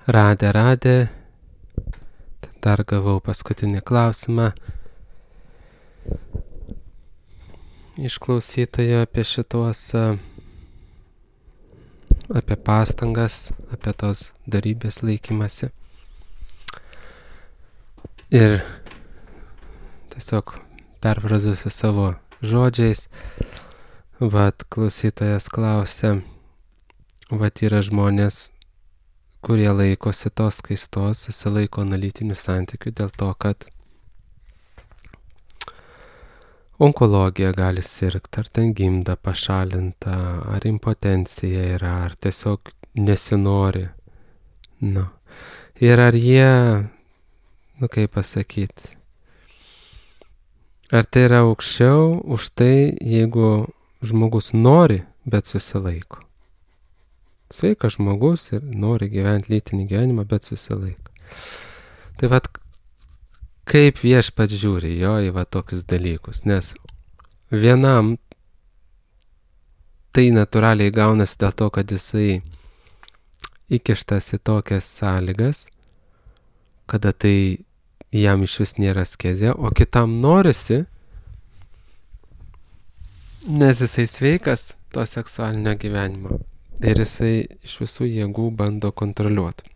Radė. Dar gavau paskutinį klausimą iš klausytojo apie apie pastangas, apie tos darybės laikymasi. Ir tiesiog perfrazuosiu savo žodžiais. Vat klausytojas klausia, vat yra žmonės, kurie laikosi tos skaistos, susilaiko analitinių santykių dėl to, kad onkologija gali sirgti, ar ten gimda pašalinta, ar impotencija yra, ar tiesiog nesinori. Nu. Ir ar jie, kaip pasakyti, ar tai yra aukščiau už tai, jeigu žmogus nori, bet susilaiko. Sveikas žmogus ir nori gyventi lytinį gyvenimą, bet susilaiko. Tai vat, kaip viešpats žiūri jo į va tokius dalykus, nes vienam tai natūraliai gaunasi dėl to, kad jisai įkištas į tokias sąlygas, kada tai jam iš vis nėra askezė, o kitam norisi, nes jisai sveikas to seksualinio gyvenimo ir jisai iš visų jėgų bando kontroliuoti.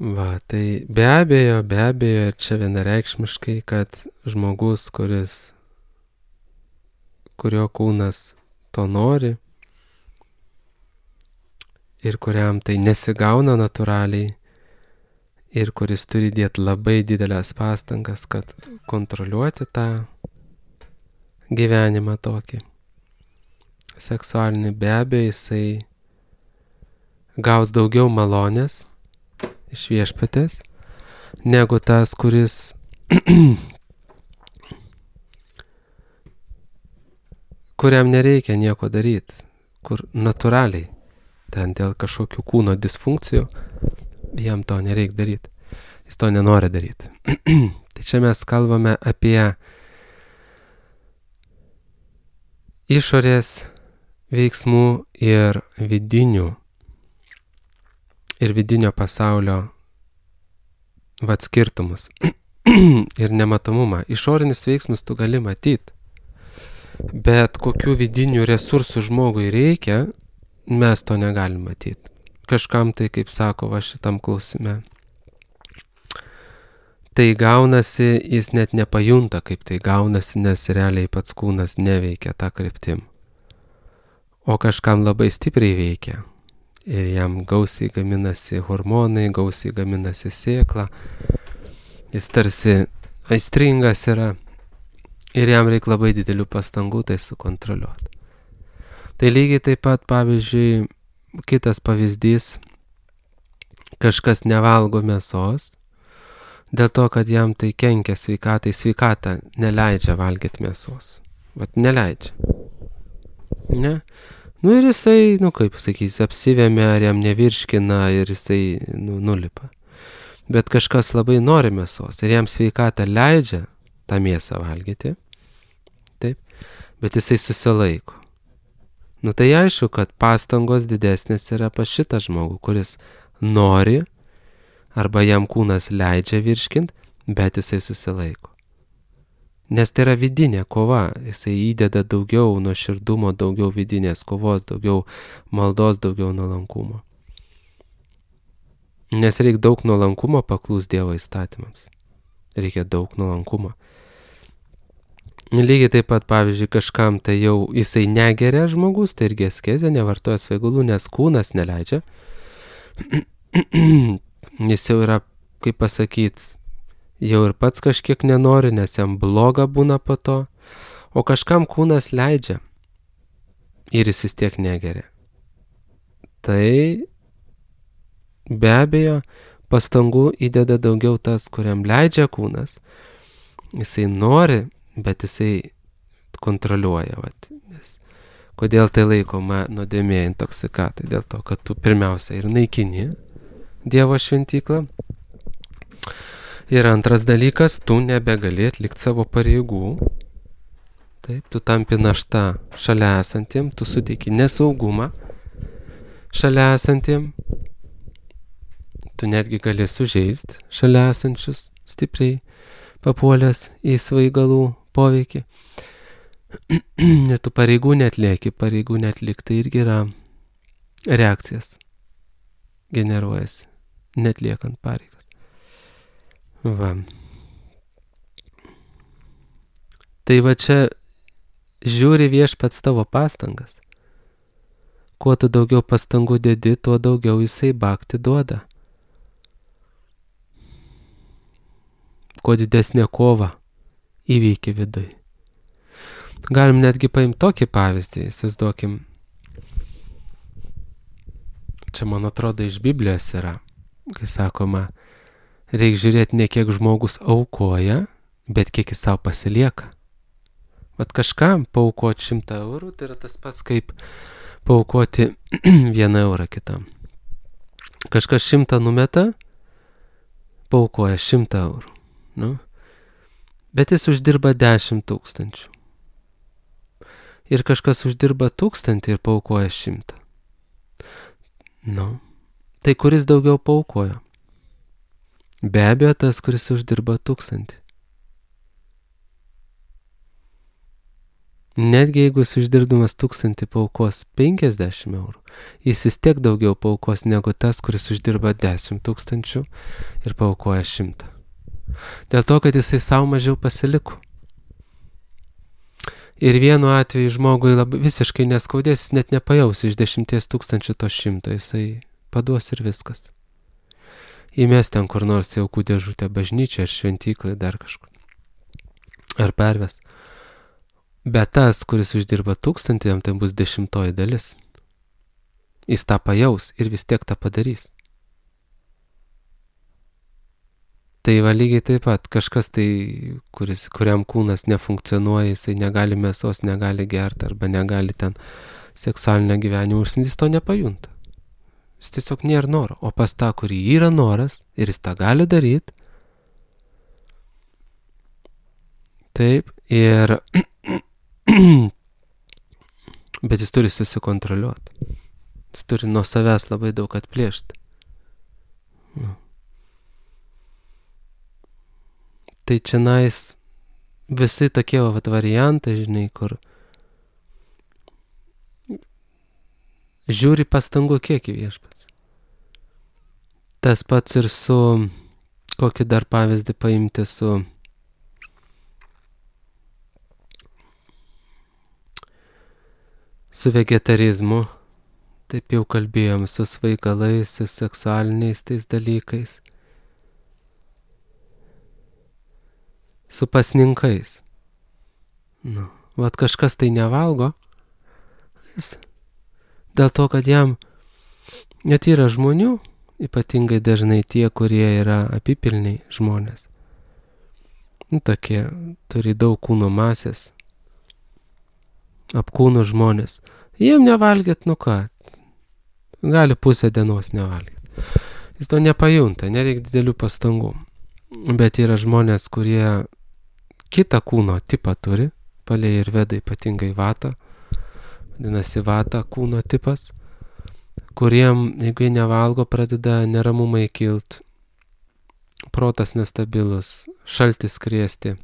Va, tai be abejo, ir čia vienareikšmiškai, kad žmogus, kurio kūnas to nori ir kuriam tai nesigauna natūraliai ir kuris turi dėti labai didelės pastangas, kad kontroliuoti tą gyvenimą tokį seksualinį, be abejo, jisai gaus daugiau malonės iš viešpatės, negu tas, kuris kuriam nereikia nieko daryti, kur natūraliai, ten dėl kažkokių kūno disfunkcijų, jam to nereikia daryti. Jis to nenori daryti. Tai čia mes kalbame apie išorės veiksmų ir vidinio pasaulio skirtumus ir nematomumą. Išorinius veiksmus tu gali matyti, bet kokių vidinių resursų žmogui reikia, mes to negalim matyti. Kažkam tai, kaip sako va šitam klausime, tai gaunasi, jis net nepajunta, kaip tai gaunasi, nes realiai pats kūnas neveikia tą kryptim. O kažkam labai stipriai veikia. Ir jam gausiai gaminasi hormonai, gausiai gaminasi sėkla. Jis tarsi aistringas yra. Ir jam reikia labai didelių pastangų tai sukontroliuoti. Tai lygiai taip pat, pavyzdžiui, kitas pavyzdys, kažkas nevalgo mėsos, dėl to, kad jam tai kenkia sveikatai, sveikata neleidžia valgyti mėsos. Vat neleidžia. Ne? Nu ir jisai, kaip sakys, apsivėmė, ar jam nevirškina ir jisai nulipa. Bet kažkas labai nori mėsos ir jam sveikata leidžia tą mėsą valgyti. Taip. Bet jisai susilaiko. Nu tai aišku, kad pastangos didesnės yra pas šitą žmogų, kuris nori arba jam kūnas leidžia virškint, bet jisai susilaiko. Nes tai yra vidinė kova, jisai įdeda daugiau nuoširdumo, daugiau vidinės kovos, daugiau maldos, daugiau nuolankumo. Nes reikia daug nuolankumo paklūs Dievo įstatymams. Reikia daug nuolankumo. Lygiai taip pat, pavyzdžiui, kažkam tai jau jisai negeria žmogus, tai irgi askezė, nevartoja svaigalų, nes kūnas neleidžia. Jis jau yra, kaip pasakyti, jau ir pats kažkiek nenori, nes jam bloga būna po to, o kažkam kūnas leidžia ir jis vis tiek negeria. Tai be abejo pastangų įdeda daugiau tas, kuriam leidžia kūnas. Jisai nori, bet jisai kontroliuoja. Nes kodėl tai laikoma nuodėmė, intoksikata? Dėl to, kad tu pirmiausia ir naikini Dievo šventyklą. Ir antras dalykas, tu nebegali atlikti savo pareigų. Taip, tu tampi našta šalia esantiem, tu suteiki nesaugumą. šalia esantiem, tu netgi gali sužeisti šalia esančius stipriai papuolęs į svaigalų poveikį. Net tu pareigų netlieki, pareigų netlik, tai irgi yra reakcijas generuojasi, netliekant pareigas. Va. Tai va čia žiūri viešpats tavo pastangas. Kuo tu daugiau pastangų dedi, tuo daugiau jisai bakti duoda. Kuo didesnė kova įveikia vidui. Galim netgi paimti tokį pavyzdį, įsivaizduokim. Čia, man atrodo, iš Biblijos yra, kai sakoma, reikia žiūrėti ne kiek žmogus aukoja, bet kiek jis savo pasilieka. Vat kažkam paaukoti 100 eurų, tai yra tas pats kaip paaukoti 1 eurą kitam. Kažkas 100 numeta, paaukoja 100 eurų. Nu? Bet jis uždirba 10 000. Ir kažkas uždirba 1000 ir paaukoja 100. Nu, tai kuris daugiau paaukojo? Be abejo, tas, kuris uždirba 1000. Netgi jeigu jis uždirbdamas 1000 paaukos 50 eurų, jis vis tiek daugiau paaukos negu tas, kuris uždirba 10 000 ir paaukoja 100. Dėl to, kad jisai savo mažiau pasiliko. Ir vienu atveju žmogui visiškai neskaudės, jis net nepajaus iš 10 000 to 100, jisai paduos ir viskas. Įmes ten kur nors į aukų dėžutę bažnyčią ar šventyklą, dar kažkur. Ar perves. Bet tas, kuris uždirba 1000, jam tai bus 10 dalis. Jis tą pajaus ir vis tiek tą padarys. Tai va lygiai taip pat kažkas tai, kuriam kūnas nefunkcionuoja, jisai negali mėsos, negali gerti arba negali ten seksualinio gyvenimo užsimti, jis to nepajunta. Jis tiesiog nėra noro. O pas tą, kurį yra noras ir jis tą gali daryti, taip, ir bet jis turi susikontroliuoti. Jis turi nuo savęs labai daug atplėšti. Tai čianais visi tokie variantai, žinai, kur žiūri pastangų kiekį viešpats. Tas pats ir su, kokį dar pavyzdį paimti, su vegetarizmu, taip jau kalbėjom, su svaigalais, su seksualiniais tais dalykais, su pasninkais. Nu, vat kažkas tai nevalgo, dėl to, kad jam net yra žmonių, ypatingai dažnai tie, kurie yra apipilniai žmonės. Nu, tokie turi daug kūno masės, apkūnų žmonės. Jiem nevalgyt, nu ką, gali pusę dienos nevalgyti. Jis to nepajunta, nereikia didelių pastangų. Bet yra žmonės, kurie kitą kūno tipą turi, palei ir veda ypatingai vatą, vadinasi vata kūno tipas, kuriem, jeigu jie nevalgo, pradeda neramumai kilt, protas nestabilus, šaltis kriesti,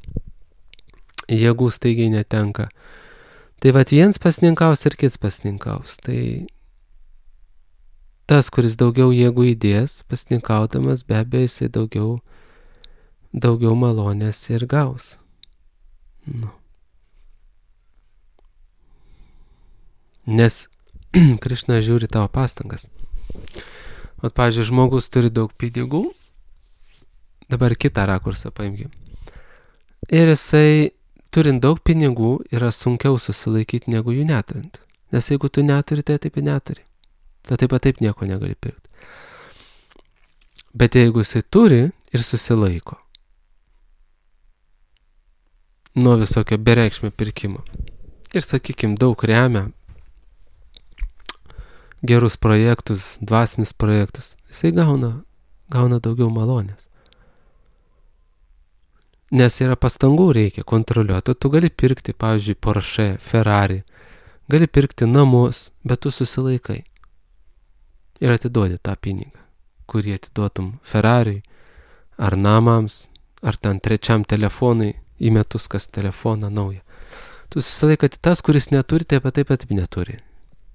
jėgų staigiai netenka. Tai vat viens pasninkaus ir kits pasninkaus. Tai tas, kuris daugiau jėgų įdės, pasninkaudamas, be abejo, jisai daugiau malonės ir gaus. Nu. Nes Krišna žiūri tavo pastangas. Vat, pavyzdžiui, žmogus turi daug pinigų, dabar kitą rakursą paimkim. Ir jisai, turint daug pinigų, yra sunkiau susilaikyti negu jų neturint. Nes jeigu tu neturi, tai taip ir neturi. Tu taip nieko negali pirkti. Bet jeigu jisai turi ir susilaiko nuo visokio bereikšmio pirkimo ir, sakykim, daug remia gerus projektus, dvasinius projektus, jisai gauna daugiau malonės. Nes yra pastangų reikia kontroliuoti. Tu gali pirkti, pavyzdžiui, Porsche, Ferrari, gali pirkti namus, bet tu susilaikai. ir atiduodi tą pinigą, kurį atiduotum Ferrariui, ar namams, ar ten trečiam telefonui, į metus kas telefoną naują. Tu susilaikati tas, kuris neturi, taip pat neturi.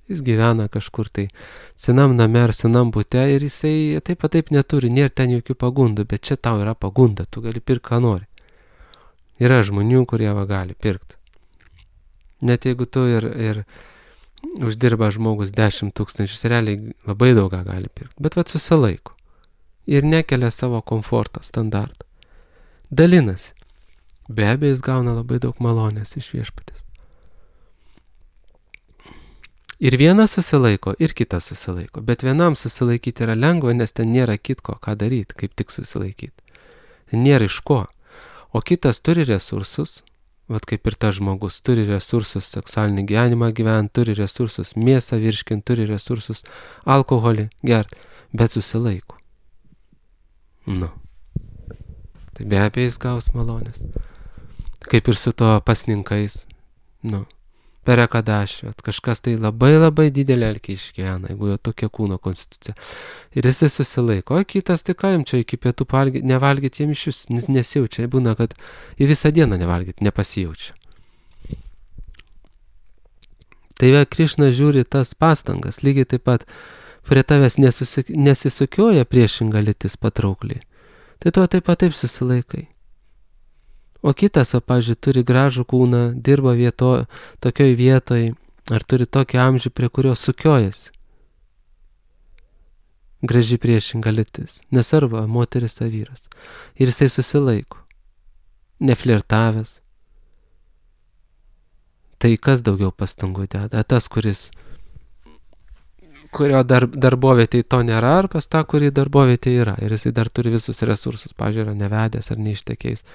Jis gyvena kažkur tai senam name ar senam bute ir jisai taip neturi, nėra ten jokių pagundų, bet čia tau yra pagunda, tu gali pirkti, ką nori. Yra žmonių, kurie gali pirkti. Net jeigu tu ir uždirba žmogus 10 000, realiai labai daugą gali pirkti, bet susilaiko ir nekelia savo komforto standartą. Dalinasi. Be abejo, jis gauna labai daug malonės iš Viešpaties. Ir vienas susilaiko, ir kitas susilaiko. Bet vienam susilaikyti yra lengva, nes ten nėra kitko, ką daryti, kaip tik susilaikyti. Nėra iš ko. O kitas turi resursus, kaip ir tas žmogus, turi resursus seksualinį gyvenimą gyventi, turi resursus mėsą virškinti, turi resursus alkoholį gerti, bet susilaiko. Tai be abejo jis gaus malonės. Kaip ir su to pasninkais, per Ekadašį, kažkas tai labai didelį alkį išgyvena, jeigu jo tokia kūno konstitucija. Ir jisai susilaiko, o kitas, tai ką jam čia iki pietų nevalgyti, jam iš vis nesijaučia, būna, kad į visą dieną nevalgyti, nepasijaučia. Tai Krišna žiūri tas pastangas, lygiai taip pat prie tavęs nesisukioja priešinga lytis patraukliai. Tai tu taip susilaikai. O kitas, pavyzdžiui, turi gražų kūną, dirba tokioj vietoj, ar turi tokį amžių, prie kurio sukiojasi. Graži priešinga lytis, nesvarbu, moteris ar vyras. Ir jisai susilaiko, neflirtavęs. Tai kas daugiau pastangų deda? Tas, kurio darbovietėje to nėra, ar pas tą, kurį darbovietėje yra. Ir jisai dar turi visus resursus, pavyzdžiui, yra nevedęs ar neištekėjęs.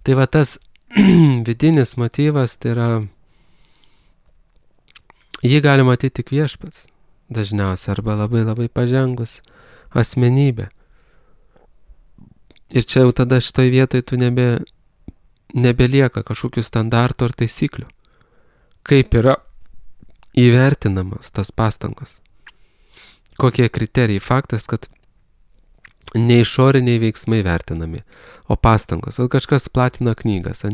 Tai tas vidinis motyvas, tai yra, jį gali matyti tik Viešpats dažniausiai, arba labai pažengus asmenybė. Ir čia jau tada šitoj vietoj tu nebelieka kažkokių standartų ar taisyklių. Kaip yra įvertinamas tas pastangos. Kokie kriterijai? Faktas, kad ne išoriniai veiksmai vertinami, o pastangos. Kažkas platina knygas,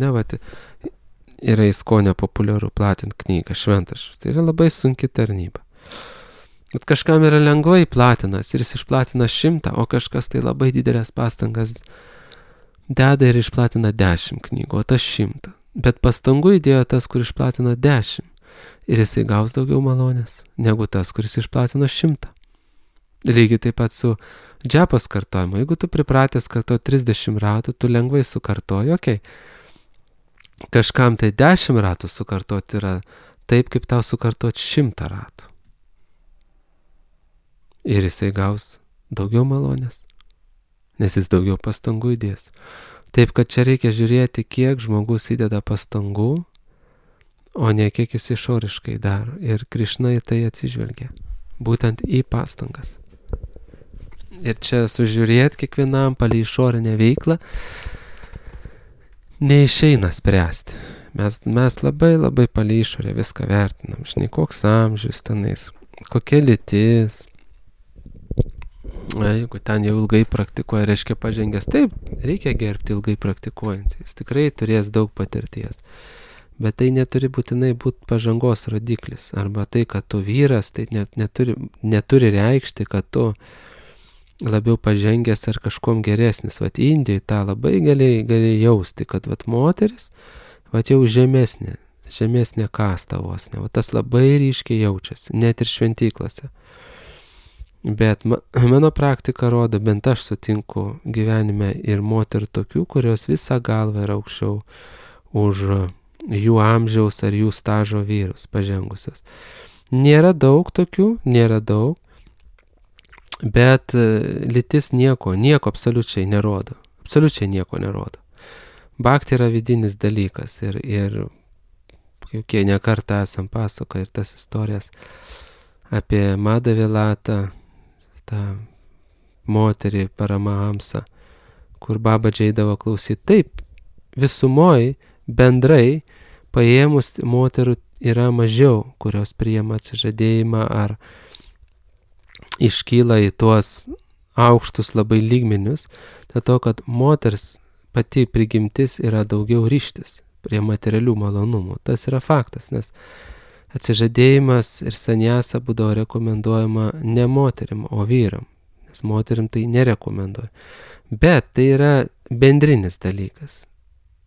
yra įskonė populiaru platinti knygą, šventašus. Tai yra labai sunki tarnyba. Bet kažkam yra lengvai platinas ir jis išplatina 100, o kažkas tai labai didelės pastangas deda ir išplatina 10 knygų, o tas 100. Bet pastangų įdėjo tas, kur išplatina 10. Ir jisai gaus daugiau malonės negu tas, kuris išplatino 100. Lygiai taip pat su džepos kartojimu. Jeigu tu pripratęs kartuoti 30 ratų, tu lengvai sukartoji, Kažkam tai 10 ratų sukartoti yra taip, kaip tau sukartoti 100 ratų. Ir jisai gaus daugiau malonės, nes jis daugiau pastangų įdės. Taip, kad čia reikia žiūrėti, kiek žmogus įdeda pastangų, o ne kiek jis išoriškai daro. Ir Krišna į tai atsižvelgia, būtent į pastangas. Ir čia sužiūrėti kiekvienam palei išorinę veiklą neišeina spręsti. Mes labai palei išorę viską vertinam. Žinai, koks amžius tenais, kokia lytis. Jeigu ten jau ilgai praktikuoja, reiškia pažengęs. Taip, reikia gerbti ilgai praktikuojant. Jis tikrai turės daug patirties. Bet tai neturi būtinai būti pažangos rodiklis. Arba tai, kad tu vyras, tai neturi reikšti, kad tu labiau pažengęs ar kažkom geresnis. Indijai tą labai gali jausti, kad moteris jau žemesnė kasta vos. Tas labai ryškiai jaučiasi, net ir šventyklose. Bet mano praktika rodo, bent aš sutinku gyvenime ir moterų tokių, kurios visą galvą yra aukščiau už jų amžiaus ar jų stažo vyrus pažengusios. Nėra daug tokių, bet lytis nieko absoliučiai nerodo. Absoliučiai nieko nerodo. Bhakti yra vidinis dalykas ir jau ne kartą esam pasakoję ir tas istorijas apie Madhavilatą, tą moterį Paramahamsą, kur Babadži eidavo klausyti. Taip, visumoj bendrai paėmus moterų yra mažiau, kurios priima atsižadėjimą ar iškyla į tuos aukštus labai lygmenius, dėl to, kad moters pati prigimtis yra daugiau ryžtis prie materialių malonumų. Tas yra faktas, nes atsižadėjimas ir sanjasa būdavo rekomenduojama ne moterim, o vyram, nes moterim tai nerekomenduoja. Bet tai yra bendrinis dalykas.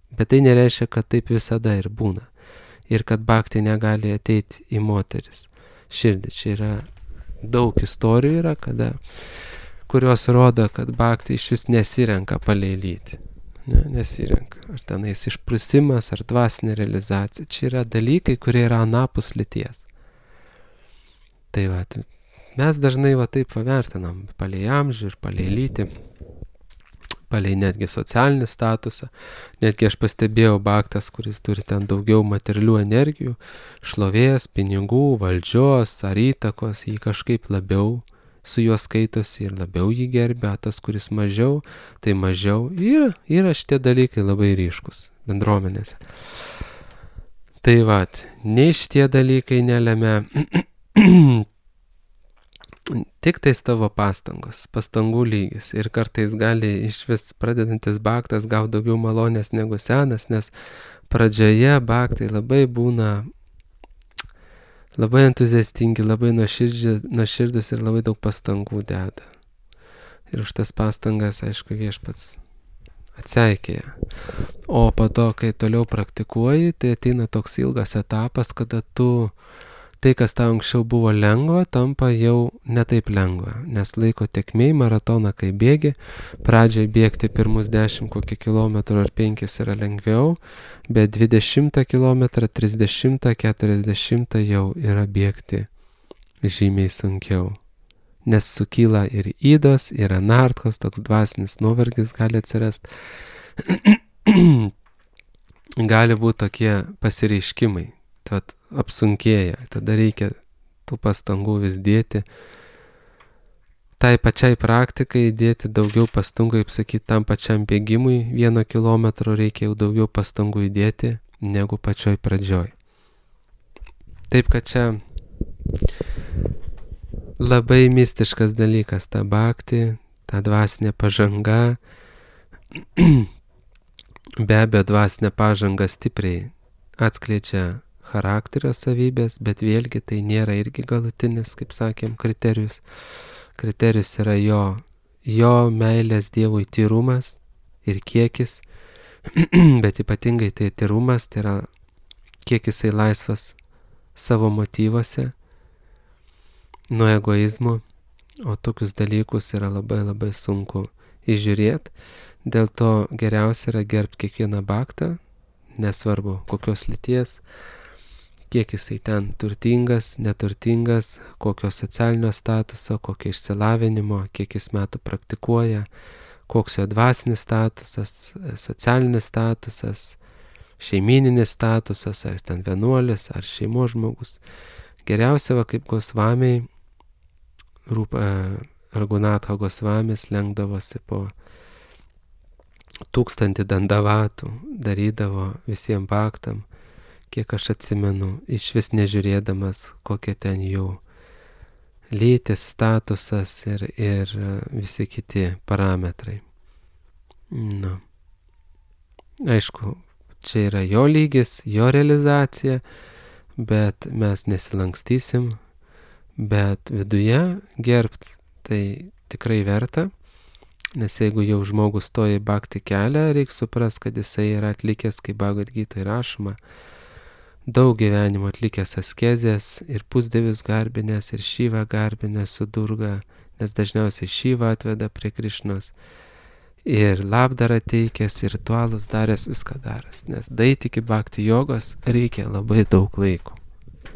Bet tai nereiškia, kad taip visada ir būna. Ir kad bhakti negali ateiti į moteris širdį. Čia yra daug istorijų yra, kurios rodo, kad bhakti iš vis nesirenka palei lytį. Nesirenka. Ar tenais išprusimas, ar dvasinė realizacija. Čia yra dalykai, kurie yra anapus lyties. Tai va, mes dažnai va taip pavertinam palei amžių ir palei lytį, palei netgi socialinį statusą. Netgi aš pastebėjau bhaktas, kuris turi ten daugiau materialių energijų, šlovės, pinigų, valdžios ar įtakos, jį kažkaip labiau su juo skaitosi ir labiau jį gerbia, tas, kuris mažiau, tai mažiau. Yra šitie dalykai labai ryškus bendruomenėse. Tai va, nei šitie dalykai nelemia tik tais tavo pastangų lygis. Ir kartais gali iš vis pradedantis bhaktas gauti daugiau malonės negu senas, nes pradžioje bhaktai labai būna labai entuziastingi, labai nuoširdus ir labai daug pastangų deda. Ir už tas pastangas, aišku, viešpats atseikėja. O po to, kai toliau praktikuoji, tai ateina toks ilgas etapas, kada tai, kas tau anksčiau buvo lengva, tampa jau netaip lengva, nes laiko tėkmėj maratoną, kai bėgi, pradžiai bėgti pirmus 10 kokį kilometrų ar 5 yra lengviau, bet 20 kilometrą, 30, 40 jau yra bėgti žymiai sunkiau, nes sukyla ir ydos, ir anartkos, toks dvasinis nuovargis gali atsirasti, gali būti tokie pasireiškimai. Tad apsunkėja, tada reikia tų pastangų vis dėti. Tai pačiai praktikai dėti daugiau pastangų, kaip sakyti, tam pačiam bėgimui 1 kilometro reikia jau daugiau pastangų įdėti negu pačioj pradžioj. Taip, kad čia labai mistiškas dalykas, ta bhakti, ta dvasinė pažanga. Be abejo, dvasinė pažanga stipriai atskleidžia charakterio savybės, bet vėlgi tai nėra irgi galutinis, kaip sakėm, kriterijus. Kriterijus yra jo meilės Dievui tyrumas ir kiekis, bet ypatingai tai tyrumas, tai yra kiek jisai laisvas savo motyvuose nuo egoizmo, o tokius dalykus yra labai labai sunku įžiūrėti. Dėl to geriausia yra gerbti kiekvieną bhaktą, nesvarbu kokios lyties, kiek jisai ten turtingas, neturtingas, kokio socialinio statuso, kokio išsilavinimo, kiek jis metų praktikuoja, koks jo dvasinis statusas, socialinis statusas, šeimininis statusas, ar ten vienuolis, ar šeimos žmogus. Geriausia, kaip Gosvamiai, Raghunatha Gosvamis lenkdavosi po 1000 dandavatų, darydavo visiems bhaktam, kiek aš atsimenu, iš vis nežiūrėdamas, kokie ten jų lytis, statusas ir visi kiti parametrai. Aišku, čia yra jo lygis, jo realizacija, bet mes nesilankstysim, bet viduje gerbt tai tikrai verta, nes jeigu jau žmogus stoja į bhakti kelią, reikia suprast, kad jisai yra atlikęs, kaip Bhagavad Gitoj rašoma, daug gyvenimo atlikęs askezės ir pusdievius garbinės, ir Šyvą garbinės su Durga, nes dažniausiai Šyvą atveda prie Krišnos, ir labdarą teikęs, ir ritualus daręs, viską daręs, nes daeiti iki bhakti jogos reikia labai daug laiko,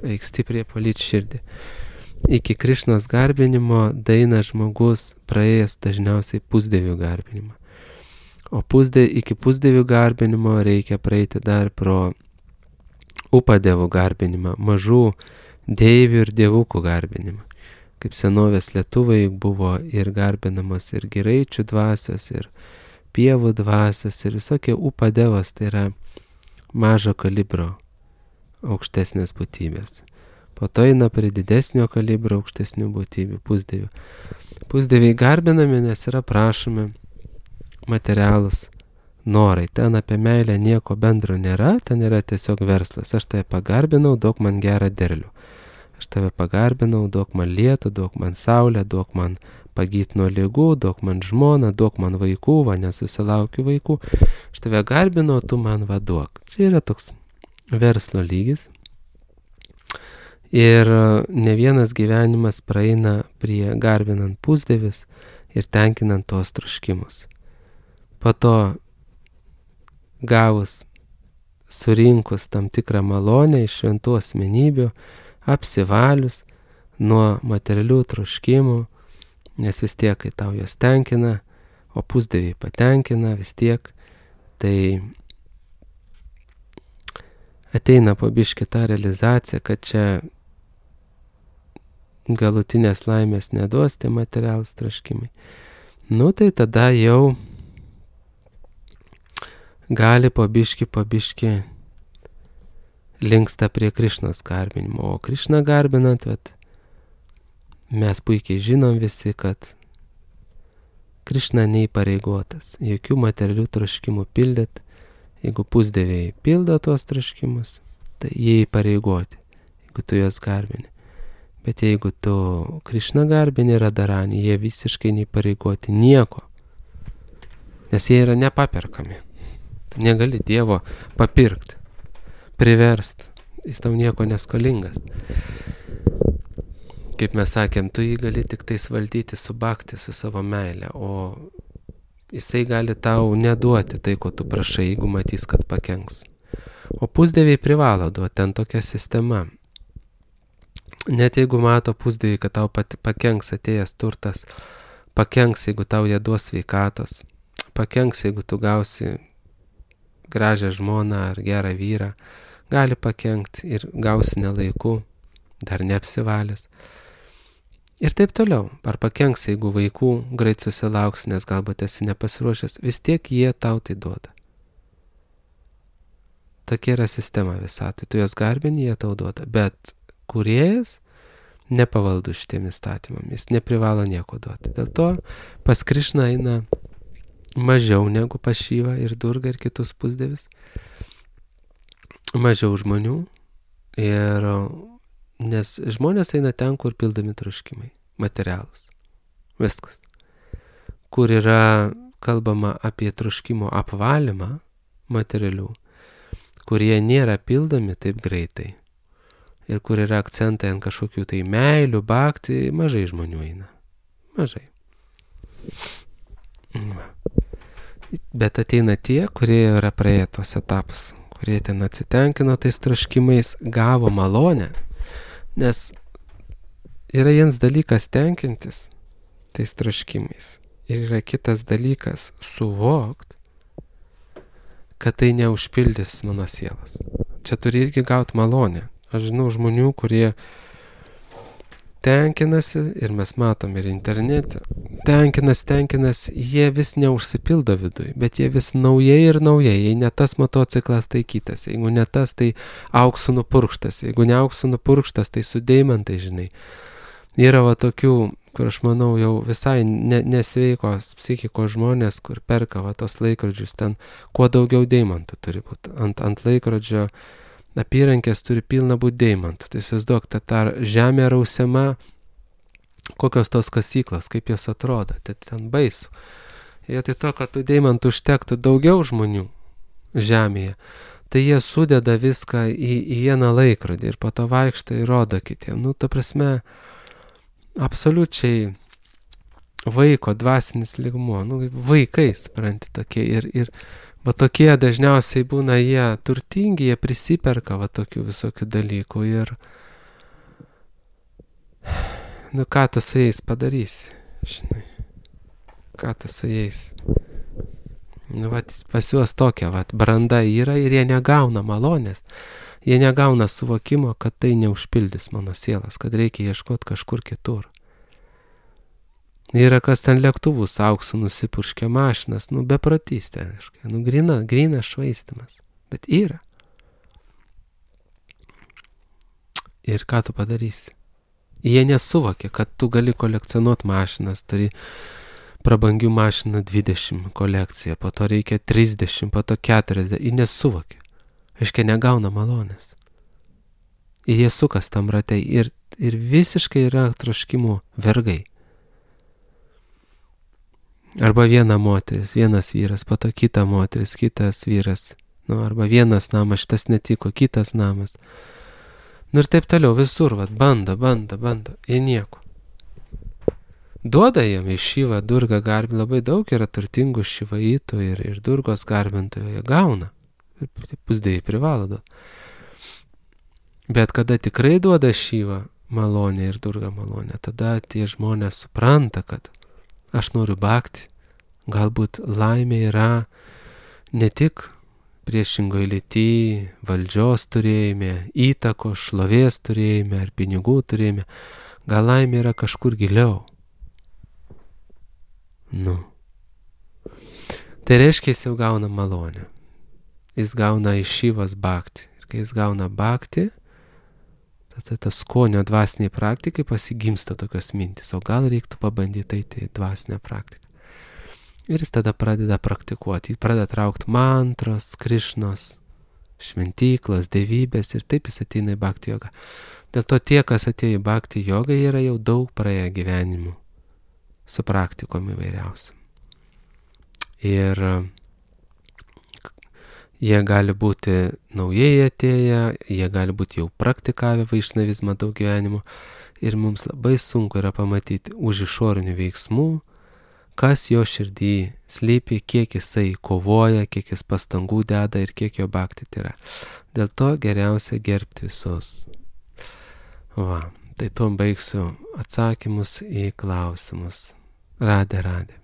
reikia stipriai palyti širdį. Iki Krišnos garbinimo daeina žmogus praėjęs dažniausiai pusdievių garbinimą, o iki pusdievių garbinimo reikia praeiti dar pro upadevų garbinimą, mažų deivių ir dievukų garbinimą. Kaip senovės lietuvai buvo ir garbinamos ir giraičių dvasios, ir pievų dvasios, ir visokie upadevos, tai yra mažo kalibro aukštesnės būtybės. Po to eina prie didesnio kalibro, aukštesnių būtybių, pusdievių. Pusdieviai garbinami, nes yra prašomi materialus norai. Ten apie meilę nieko bendro nėra, ten yra tiesiog verslas. Aš tave pagarbinau, duok man gerą derlių. Aš tave pagarbinau, duok man lietų, duok man saulę, duok man pagyt nuo ligų, duok man žmoną, duok man vaikų, va nesusilaukiu vaikų. Aš tave garbinau, tu man vaduok. Čia yra toks verslo lygis. Ir ne vienas gyvenimas praeina prie garbinant pusdievius ir tenkinant tos troškimus. Po to gavus, surinkus tam tikrą malonę iš šventų asmenybių, apsivalius nuo materialių troškimų, nes vis tiek, kai tau jos tenkina, o pusdieviai patenkina vis tiek, tai ateina po biškį tą realizaciją, kad čia galutinės laimės neduos tie materialūs troškimai. Nu tai tada jau gali po biškį linksta prie Krišnos garbinimo. O Krišną garbinant, mes puikiai žinom visi, kad Krišna neįpareigotas jokių materialių troškimų pildyt. Jeigu pusdieviai pildo tuos troškimus, tai jie įpareigoti, jeigu tu juos garbini. Bet jeigu tu Krišną garbini Radharani, jie visiškai neįpareigoti nieko, nes jie yra nepaperkami. Tu negali Dievo papirkti, priversti, jis tau nieko neskolingas. Kaip mes sakėm, tu jį gali tik tais valdyti su bhakti, su savo meile, o jisai gali tau neduoti tai, ko tu prašai, jeigu matys, kad pakenks. O pusdieviai privalo duoti, ten tokia sistema. Net jeigu mato pusdieviai, kad tau pakenks atėjęs turtas, pakenks, jeigu tau jie duos sveikatos, pakenks, jeigu tu gausi gražią žmoną ar gerą vyrą, gali pakenkti ir gausi nelaiku, dar neapsivalęs. Ir taip toliau, ar pakenks, jeigu vaikų greit susilauks, nes galbūt esi nepasiruošęs, vis tiek jie tau tai duoda. Tokia yra sistema visatoj, tu jos garbini, jie tau duoda, bet kūrėjas nepavaldus šitiem įstatymam, jis neprivalo nieko duoti. Dėl to pas Krišną eina mažiau negu pas Šivą ir Durgą ir kitus pusdievius, mažiau žmonių, ir nes žmonės eina ten, kur pildomi troškimai, materialūs, viskas. Kur yra kalbama apie troškimo apvalymą materialių, kurie nėra pildomi taip greitai. Ir kur yra akcentai ant kažkokių tai meilių, bhakti, mažai žmonių eina. Mažai. Bet ateina tie, kurie yra praėję tuos etapus, kurie ten atsitenkino tais troškimais, gavo malonę. Nes yra vienas dalykas tenkintis tais troškimais. Ir yra kitas dalykas suvokt, kad tai neužpildys mano sielas. Čia turi irgi gauti malonę. Aš žinau žmonių, kurie tenkinasi, ir mes matom ir internete, tenkinasi, jie vis neužsipildo viduj, bet jie vis naujai ir naujai, jei ne tas motociklas, tai kitas, jeigu ne tas, tai auksu nupurkštas, jeigu ne auksu nupurkštas, tai su deimantai, žinai. Yra va tokių, kur aš manau jau visai nesveikos psichikos žmonės, kur perka va tos laikrodžius, ten kuo daugiau deimantų turi būti. Ant laikrodžio apyrankės turi pilna būti deimantų. Tai įsivaizduok, ta žemė rausiama, kokios tos kasyklos, kaip jos atrodo, tai ten baisu. Ir tai to, kad tų deimantų užtektų daugiau žmonių žemėje, tai jie sudeda viską į vieną laikrodį ir po to vaikšto ir rodo kitiem. Nu, ta prasme, absoliučiai vaiko dvasinis lygmuo, nu, vaikai, supranti, tokie ir va tokie dažniausiai būna jie turtingi, jie prisiperka va tokių visokių dalykų ir nu ką tu su jais padarysi, žinai, ką tu su jais, nu va pas juos tokia va branda yra ir jie negauna malonės, jie negauna suvokimo, kad tai neužpildys mano sielas, kad reikia ieškoti kažkur kitur. Yra kas ten lėktuvus auksu nusipurškia mašinas, nu beprotystė, nu grina švaistimas, bet yra. Ir ką tu padarysi? Jie nesuvokia, kad tu gali kolekcionuoti mašinas, turi prabangių mašinų 20 kolekciją, po to reikia 30, po to 40. Jie nesuvokia. Aiškiai negauna malonės. Ir jie sukas tam ratai ir visiškai yra troškimų vergai. Arba viena moteris, vienas vyras, po to kita moteris, kitas vyras. Arba vienas namas, šitas netiko, kitas namas. Ir taip toliau, visur, bando. Jie nieko. Duoda jam į Šivą, Durgą garbinti, labai daug yra turtingų šivaitų ir Durgos garbintojų, jie gauna. Ir pusdėjai privalo duoti. Bet kada tikrai duoda Šivą malonę ir Durgą malonę, tada tie žmonės supranta, kad aš noriu bhakti. Galbūt laimė yra ne tik priešingoje lyty, valdžios turėjime, įtakos, šlovės turėjime ar pinigų turėjime. Gal laimė yra kažkur giliau. Tai reiškia, jis jau gauna malonę. Jis gauna iš Šivos bhakti. Ir kai jis gauna bhakti, tada tas skonio dvasiniai praktikai pasigimsta tokios mintis. O gal reiktų pabandyti eiti į dvasinę praktiką. Ir jis tada pradeda praktikuoti. Jis pradeda traukti mantros, Krišnos, šventyklos, dievybės ir taip jis ateina į bhakti jogą. Dėl to tie, kas atėjo į bhakti jogą, yra jau daug praėję gyvenimų su praktikom įvairiausiam. Ir jie gali būti naujai atėję, jie gali būti jau praktikavę vaišnavizmą daug gyvenimų. Ir mums labai sunku yra pamatyti už išorinių veiksmų, kas jo širdį slypi, kiek jisai kovoja, kiek jis pastangų deda ir kiek jo bhakti yra. Dėl to geriausia gerbti visus. Tai tuom baigsiu atsakymus į klausimus. Radhe.